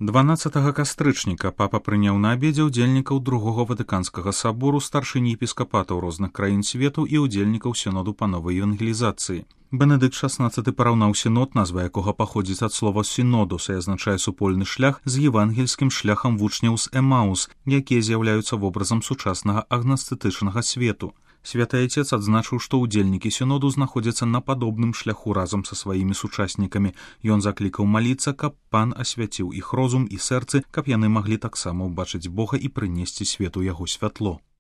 12 кастрычніка папа прыняў на абедзе ўдзельнікаў другога ватыканскага сабору, старшыні епіскапатаў розных краін свету і ўдзельнікаў сіноду па новай евангелізацыі. Бенедыкт XVI параўнаў сінод, назва якога паходзіць ад слова сінодус і азначае супольны шлях, з евангельскім шляхам вучняў з Эмаус, якія з'яўляюцца вобразам сучаснага агностычнага свету. Святы Айцец адзначыў, што ўдзельнікі сіноду знаходзяцца на падобным шляху разам са сваімі сучаснікамі. Ён заклікаў маліцца, каб пан асвяціў іх розум і сэрцы, каб яны маглі таксама ўбачыць Бога і прынесці свету яго святло.